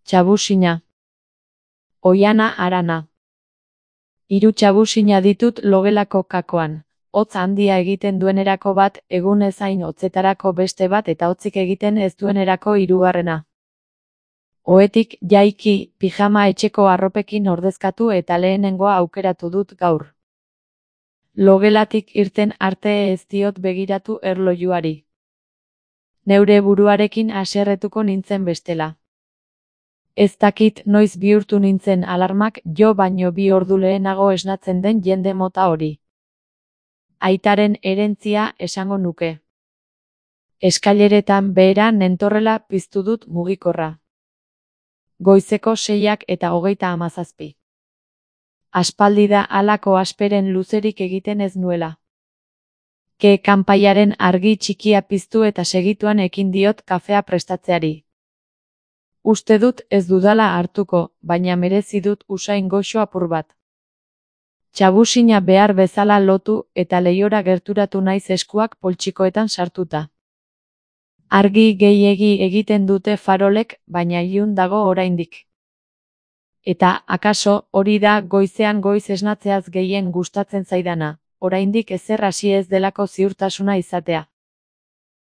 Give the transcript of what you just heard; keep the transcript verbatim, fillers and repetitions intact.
Txabusina. Oiana Arana. Hiru txabusina ditut logelako kakoan. Hotz handia egiten duenerako bat, egun ezain hotzetarako beste bat eta hotzik egiten ez duenerako hirugarrena. Ohetik jaiki, pijama etxeko arropekin ordezkatu eta lehenengoa aukeratu dut gaur. Logelatik irten arte ez diot begiratu erlojuari. Neure buruarekin haserretuko nintzen bestela. Ez dakit noiz bihurtu nintzen alarmak jo baino bi ordu lehenago esnatzen den jende mota hori. Aitaren herentzia esango nuke. Eskaileretan behera nentorrela piztu dut mugikorra. Goizeko seiak eta hogeita hamazazpi. Aspaldi da halako asperen luzerik egiten ez nuela. Ke kanpaiaren argi txikia piztu eta segituan ekin diot kafea prestatzeari. Uste dut ez dudala hartuko, baina merezi dut usain goxo apur bat. Txabusina behar bezala lotu eta leihora gerturatu naiz eskuak poltsikoetan sartuta. Argi gehiegi egiten dute farolek, baina ilun dago oraindik. Eta, akaso, hori da goizean goiz esnatzeaz gehien gustatzen zaidana, oraindik ezer hasi ez delako ziurtasuna izatea.